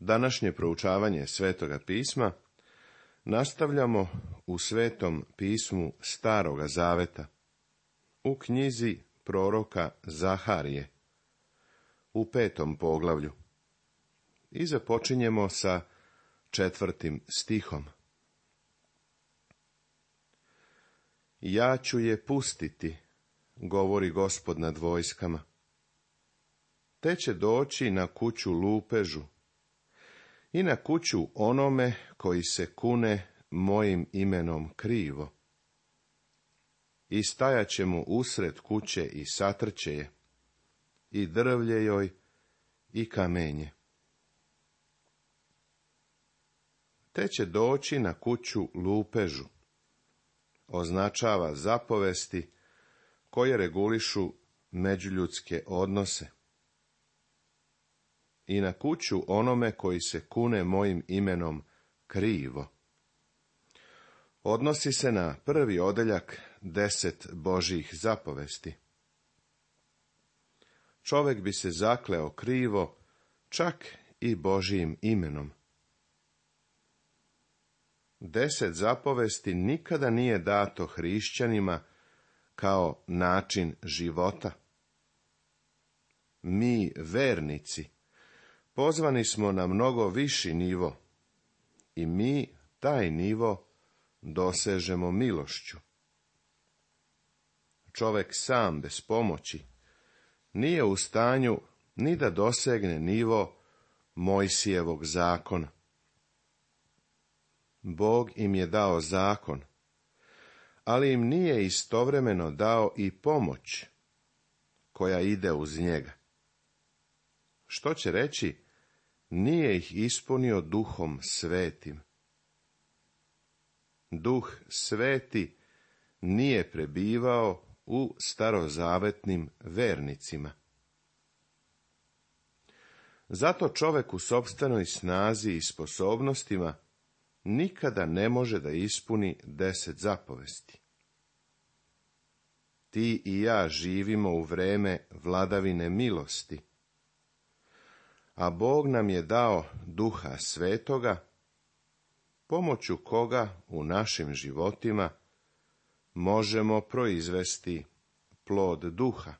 Današnje proučavanje Svetoga pisma nastavljamo u Svetom pismu Staroga zaveta, u knjizi proroka Zaharije, u 5. poglavlju, i započinjemo sa 4. stihom. Ja ću je pustiti, govori Gospod nad vojskama, te će doći na kuću lupežu i na kuću onome koji se kune mojim imenom krivo. I stajat će mu usred kuće i satrće je, i drvlje joj i kamenje. Te će doći na kuću lupežu označava zapovesti koje regulišu međuljudske odnose. I na kuću onome koji se kune mojim imenom krivo. Odnosi se na prvi odeljak 10 Božjih zapovesti. Čovjek bi se zakleo krivo, čak i Božjim imenom. 10 zapovesti nikada nije dato hrišćanima kao način života. Mi, vernici, pozvani smo na mnogo viši nivo i mi taj nivo dosežemo milošću. Čovjek sam bez pomoći nije u stanju ni da dosegne nivo Mojsijevog zakona. Bog im je dao zakon, ali im nije istovremeno dao i pomoć koja ide uz njega. Što će reći, nije ih ispunio Duhom Svetim. Duh Sveti nije prebivao u starozavetnim vernicima. Zato čovjek u sopstvenoj snazi i sposobnostima nikada ne može da ispuni 10 zapovesti. Ti i ja živimo u vreme vladavine milosti, a Bog nam je dao Duha Svetoga, pomoću koga u našim životima možemo proizvesti plod duha.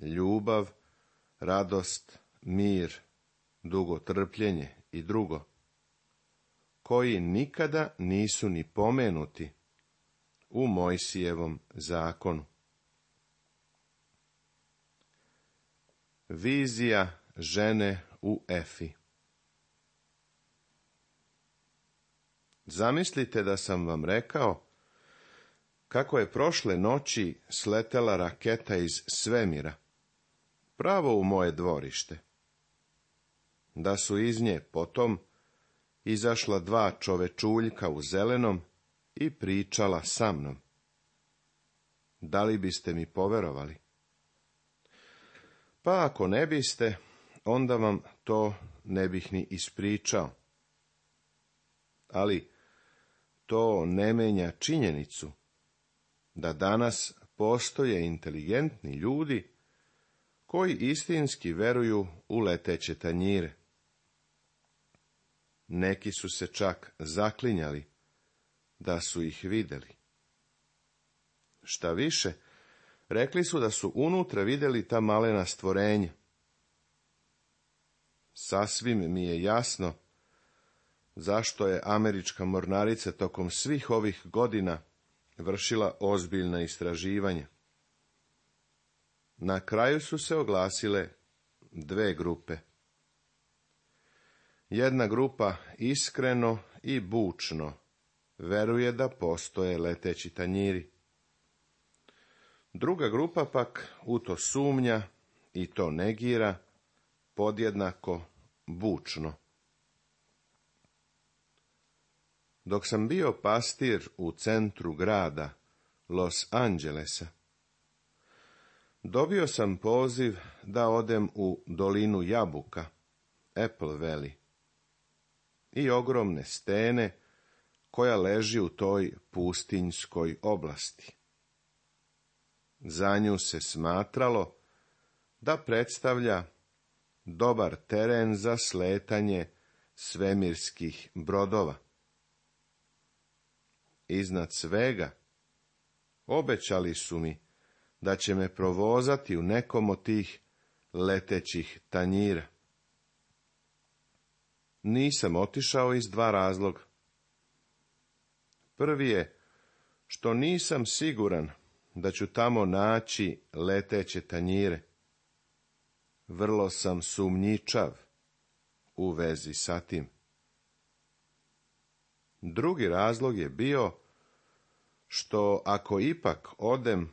Ljubav, radost, mir, dugotrpljenje i drugo, koji nikada nisu ni pomenuti u Mojsijevom zakonu. Vizija žene u Efi. Zamislite da sam vam rekao kako je prošle noći sletela raketa iz svemira, pravo u moje dvorište. Da su iz nje potom izašla 2 čovečuljka u zelenom i pričala sa mnom. Da li biste mi poverovali? Pa ako ne biste, onda vam to ne bih ni ispričao. Ali to ne menja činjenicu da danas postoje inteligentni ljudi koji istinski veruju u leteće tanjire. Neki su se čak zaklinjali da su ih vidjeli. Šta više, rekli su da su unutra vidjeli ta malena stvorenja. Sasvim mi je jasno zašto je američka mornarica tokom svih ovih godina vršila ozbiljna istraživanja. Na kraju su se oglasile 2 grupe. Jedna grupa iskreno i bučno veruje da postoje leteći tanjiri. Druga grupa pak u to sumnja i to negira podjednako bučno. Dok sam bio pastir u centru grada Los Angelesa, dobio sam poziv da odem u dolinu jabuka, Apple Valley, i ogromne stene koja leži u toj pustinjskoj oblasti. Za nju se smatralo da predstavlja dobar teren za sletanje svemirskih brodova. Iznad svega, obećali su mi da će me provozati u nekom od tih letećih tanjira. Nisam otišao iz 2 razloga. Prvi je što nisam siguran da ću tamo naći leteće tanjire. Vrlo sam sumnjičav u vezi sa tim. Drugi razlog je bio što ako ipak odem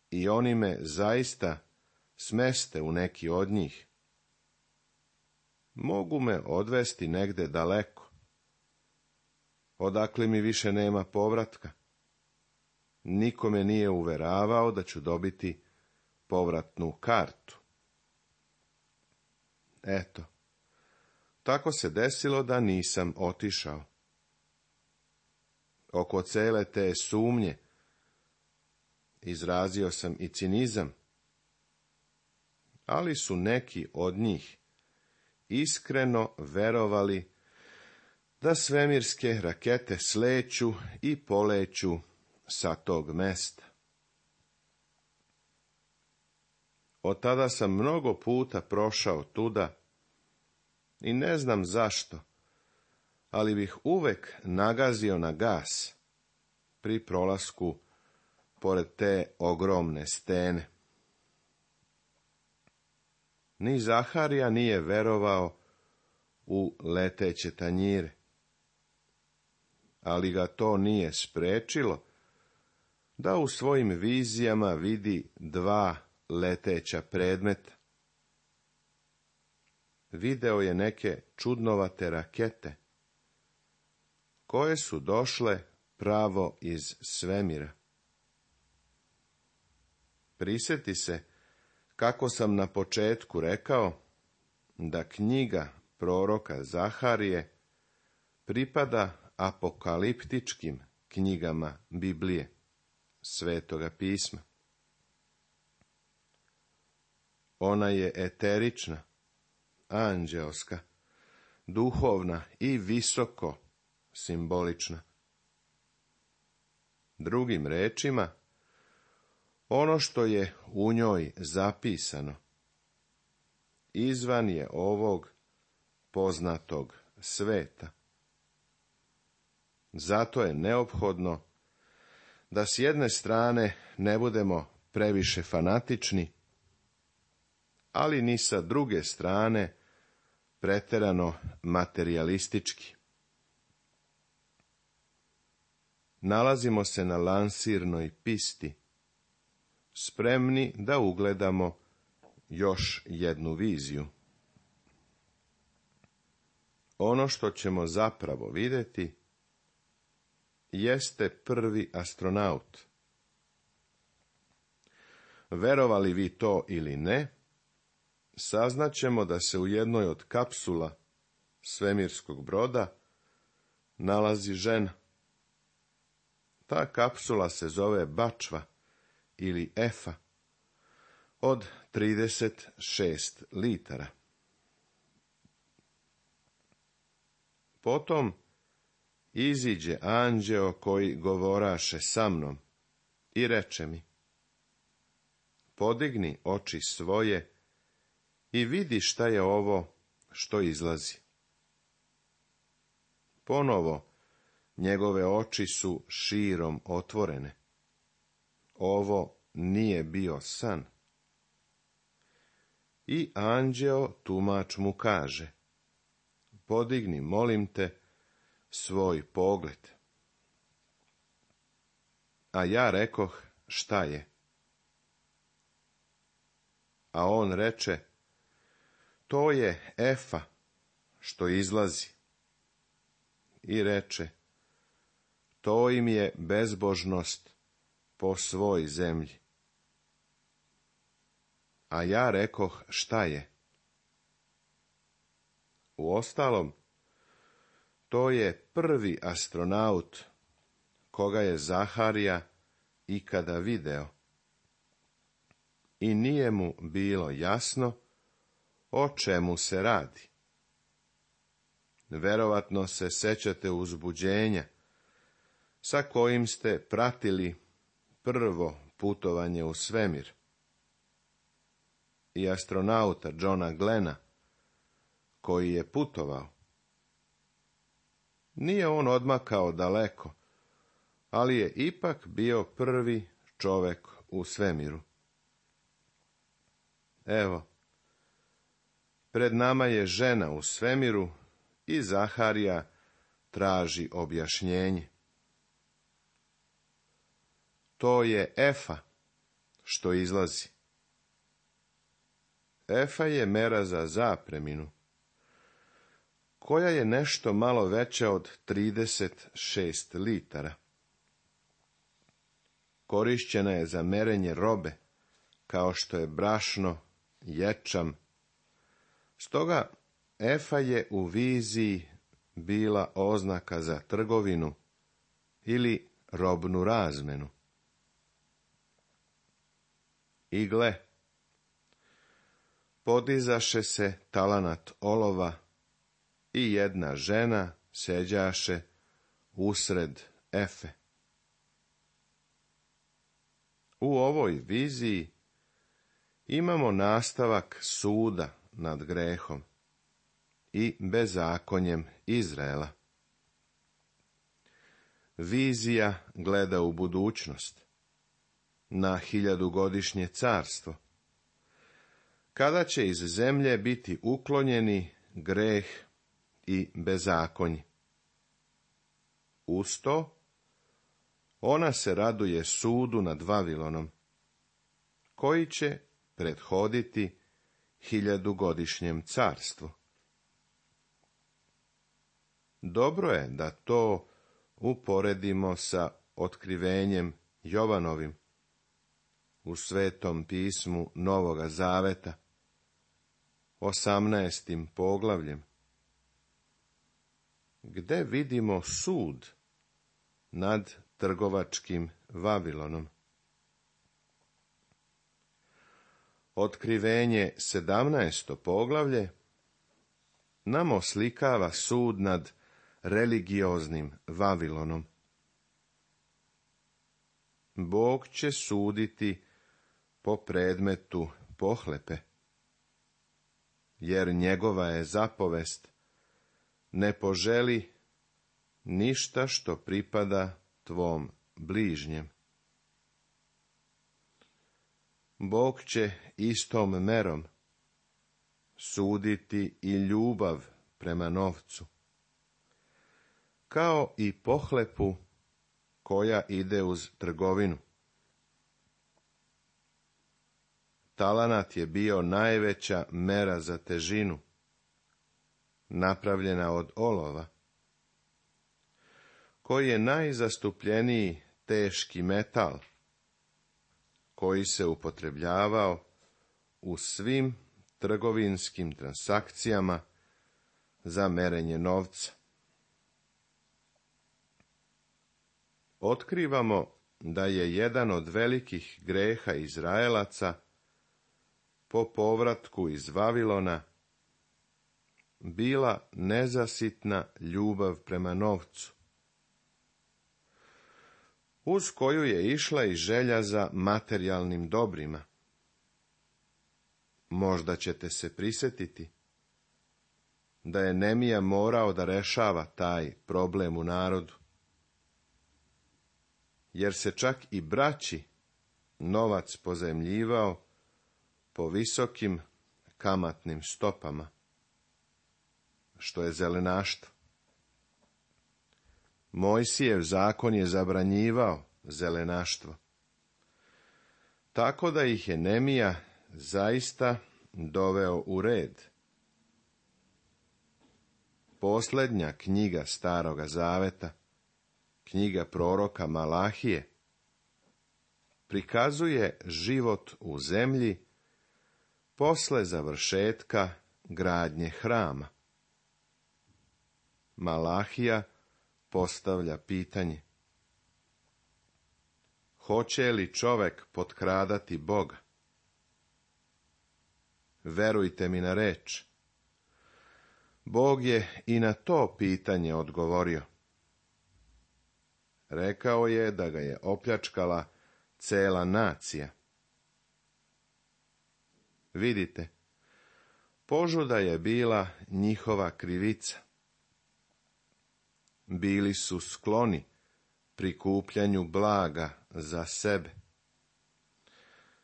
i oni me zaista smeste u neki od njih, mogu me odvesti negde daleko, odakle mi više nema povratka. Niko me nije uveravao da ću dobiti povratnu kartu. Eto, tako se desilo da nisam otišao. Oko cele te sumnje izrazio sam i cinizam, ali su neki od njih iskreno verovali da svemirske rakete sleću i poleću sa tog mesta. Od tada sam mnogo puta prošao tuda i ne znam zašto, ali bih uvek nagazio na gas pri prolasku pored te ogromne stene. Ni Zaharija nije verovao u leteće tanjire, ali ga to nije sprečilo da u svojim vizijama vidi 2 leteća predmeta. Video je neke čudnovate rakete, koje su došle pravo iz svemira. Prisjeti se kako sam na početku rekao da knjiga proroka Zaharije pripada apokaliptičkim knjigama Biblije, Svetoga pisma. Ona je eterična, anđeoska, duhovna i visoko simbolična. Drugim rečima, ono što je u njoj zapisano izvan je ovog poznatog sveta. Zato je neophodno da s jedne strane ne budemo previše fanatični, ali ni sa druge strane preterano materijalistički. Nalazimo se na lansirnoj pisti, spremni da ugledamo još jednu viziju. Ono što ćemo zapravo vidjeti jeste prvi astronaut. Verovali vi to ili ne, saznaćemo da se u jednoj od kapsula svemirskog broda nalazi žena. Ta kapsula se zove Bačva ili Efa od 36 litara. Potom iziđe anđeo koji govoraše sa mnom i reče mi: podigni oči svoje i vidi šta je ovo što izlazi. Ponovo njegove oči su širom otvorene. Ovo nije bio san. I anđeo tumač mu kaže: podigni, molim te, svoj pogled. A ja rekoh: šta je? A on reče: to je Efa što izlazi. I reče: to im je bezbožnost po svoj zemlji. A ja rekoh: šta je? Uostalom, to je prvi astronaut koga je Zaharija ikada video. I nije mu bilo jasno o čemu se radi. Verovatno se sećate uzbuđenja sa kojim ste pratili prvo putovanje u svemir i astronauta Johna Glena, koji je putovao. Nije on odmakao daleko, ali je ipak bio prvi čovek u svemiru. Evo, pred nama je žena u svemiru i Zaharija traži objašnjenje. To je Efa što izlazi. Efa je mera za zapreminu, koja je nešto malo veća od 36 litara. Korišćena je za merenje robe, kao što je brašno, ječam. Stoga Efa je u viziji bila oznaka za trgovinu ili robnu razmenu. I gle, podizaše se talanat olova i jedna žena seđaše usred Efe. U ovoj viziji imamo nastavak suda nad grehom i bezakonjem Izraela. Vizija gleda u budućnost, na 1000-godišnje carstvo, kada će iz zemlje biti uklonjeni greh i bezakonje. Uz to, ona se raduje sudu nad Vavilonom, koji će prethoditi 1000-godišnjem carstvu. Dobro je da to uporedimo sa otkrivenjem Jovanovim u Svetom pismu Novoga Zaveta, 18. poglavljem, gde vidimo sud nad trgovačkim Vavilonom. Otkrivenje 17. poglavlje nam oslikava sud nad religioznim Vavilonom. Bog će suditi po predmetu pohlepe, jer njegova je zapovest: ne poželi ništa što pripada tvom bližnjem. Bog će istom merom suditi i ljubav prema novcu, kao i pohlepu koja ide uz trgovinu. Talanat je bio najveća mera za težinu, napravljena od olova, koji je najzastupljeniji teški metal, koji se upotrebljavao u svim trgovinskim transakcijama za merenje novca. Otkrivamo da je jedan od velikih greha Izraelaca po povratku iz Vavilona bila nezasitna ljubav prema novcu, uz koju je išla i želja za materijalnim dobrima. Možda ćete se prisjetiti da je Nemija morao da rešava taj problem u narodu, jer se čak i braći novac pozajmljivao po visokim kamatnim stopama, što je zelenaštvo. Mojsijev zakon je zabranjivao zelenaštvo, tako da ih je Nemija zaista doveo u red. Posljednja knjiga Staroga Zaveta, knjiga proroka Malahije, prikazuje život u zemlji posle završetka gradnje hrama. Malahija postavlja pitanje: hoće li čovek potkradati Boga? verujte mi na reč. Bog je i na to pitanje odgovorio. Rekao je da ga je opljačkala cela nacija. Vidite, požuda je bila njihova krivica. Bili su skloni prikupljanju blaga za sebe,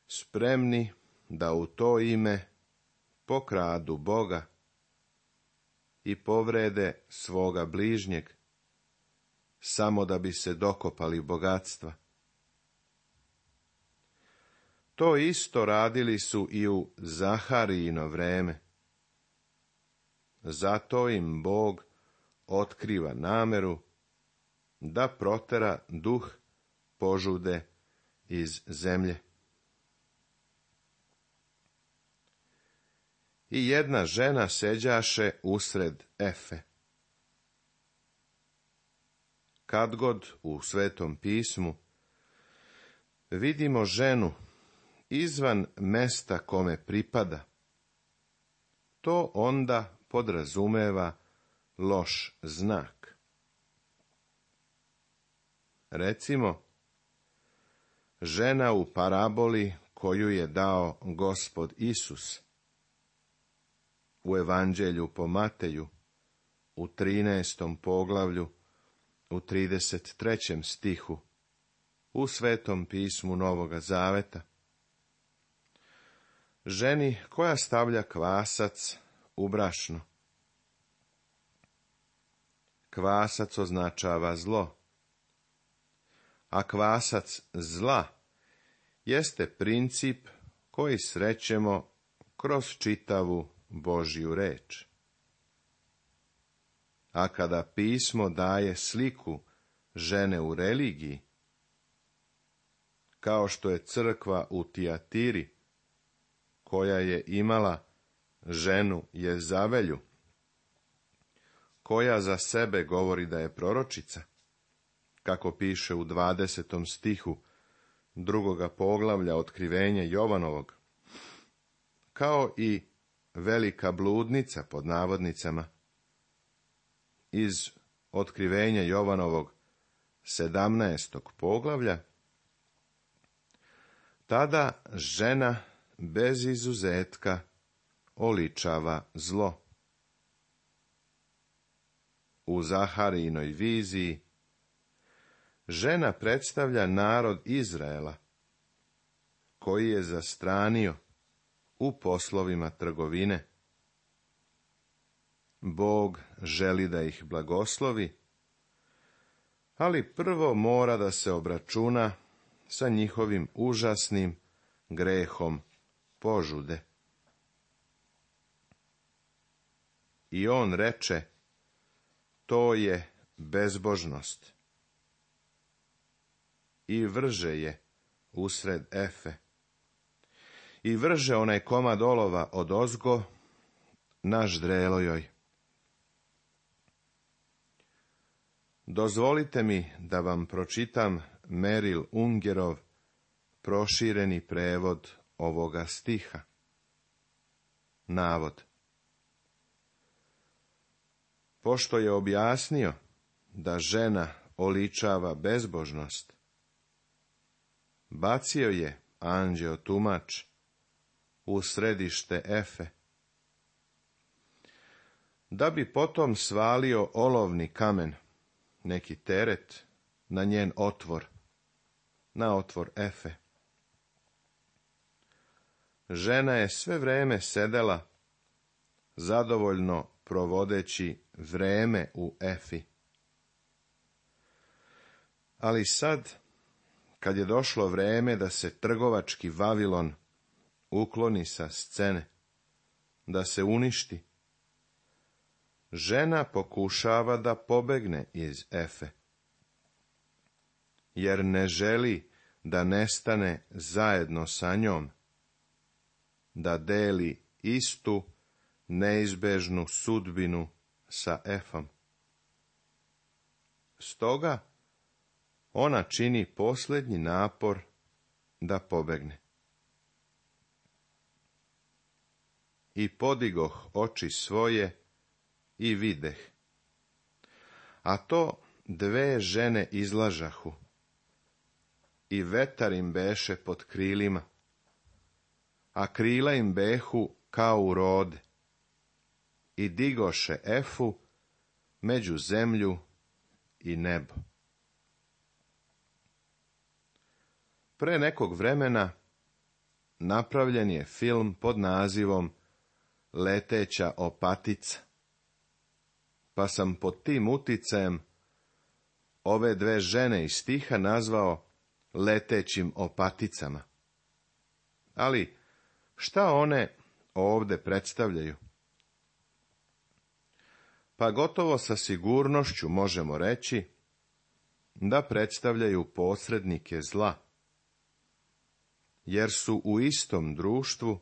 spremni da u to ime pokradu Boga i povrede svoga bližnjeg, samo da bi se dokopali bogatstva. To isto radili su i u Zaharijino vreme. Zato im Bog otkriva nameru da protera duh požude iz zemlje. I jedna žena seđaše usred Efe. Kad god u Svetom pismu vidimo ženu izvan mesta kome pripada, to onda podrazumeva loš znak. Recimo, žena u paraboli koju je dao Gospod Isus u Evanđelju po Mateju u 13. poglavlju u 33. stihu u Svetom pismu Novoga Zaveta. Ženi koja stavlja kvasac u brašno. Kvasac označava zlo, a kvasac zla jeste princip koji srećemo kroz čitavu Božju reč. A kada pismo daje sliku žene u religiji, kao što je crkva u Tijatiri, koja je imala ženu Jezavelju, koja za sebe govori da je proročica, kako piše u 20. stihu 2. poglavlja Otkrivenja Jovanovog, kao i velika bludnica pod navodnicama iz Otkrivenja Jovanovog 17. poglavlja, tada žena bez izuzetka oličava zlo. U Zaharijinoj viziji žena predstavlja narod Izraela, koji je zastranio u poslovima trgovine. Bog želi da ih blagoslovi, ali prvo mora da se obračuna sa njihovim užasnim grehom požude. I on reče, to je bezbožnost. I vrže je usred Efe. I vrže onaj komad olova odozgo na ždrelo joj. Dozvolite mi da vam pročitam Merrill Ungerov prošireni prevod ovoga stiha. Navod. Pošto je objasnio da žena oličava bezbožnost, bacio je anđeo tumač u središte Efe, da bi potom svalio olovni kamen, neki teret, na njen otvor, na otvor Efe. Žena je sve vreme sedela, zadovoljno provodeći vreme u Efi. Ali sad, kad je došlo vreme da se trgovački Vavilon ukloni sa scene, da se uništi, žena pokušava da pobegne iz Efe, jer ne želi da nestane zajedno sa njom, da deli istu neizbežnu sudbinu sa Efom. Stoga ona čini posljednji napor da pobegne. i podigoh oči svoje i videh. A to dve žene izlažahu, i vetar im beše pod krilima, a krila im behu kao u rode, i digoše efu među zemlju i nebo. Pre nekog vremena napravljen je film pod nazivom Leteća opatica, pa sam pod tim uticajem ove dve žene iz stiha nazvao letećim opaticama. Ali šta one ovde predstavljaju? Pa gotovo sa sigurnošću možemo reći da predstavljaju posrednike zla, jer su u istom društvu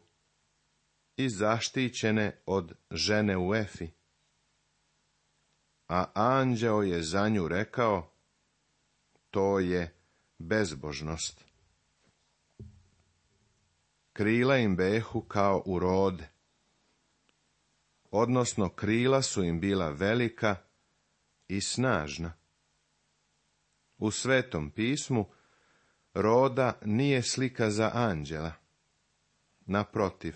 i zaštićene od žene u Efi. A anđeo je za nju rekao, to je bezbožnost. Krila im behu kao u rode, odnosno krila su im bila velika i snažna. U Svetom pismu roda nije slika za anđela. Naprotiv,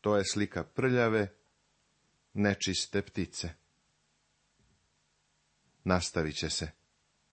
to je slika prljave, nečiste ptice. Nastavit će se.